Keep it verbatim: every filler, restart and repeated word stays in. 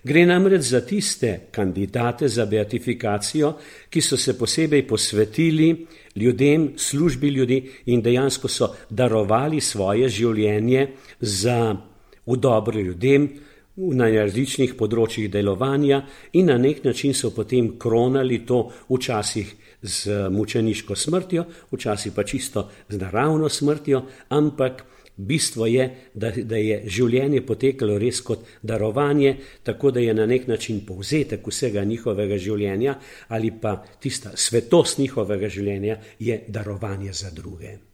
Gre namreč za tiste kandidate za beatifikacijo, ki so se posebej posvetili ljudem, službi ljudi in dejansko so darovali svoje življenje za v dobro ljudem na različnih področjih delovanja in na nek način so potem kronali to včasih z mučeniško smrtjo, včasih pa čisto z naravno smrtjo, ampak bistvo je, da, da je življenje potekalo res kot darovanje, tako da je na nek način povzetek vsega njihovega življenja ali pa tista svetost njihovega življenja je darovanje za druge.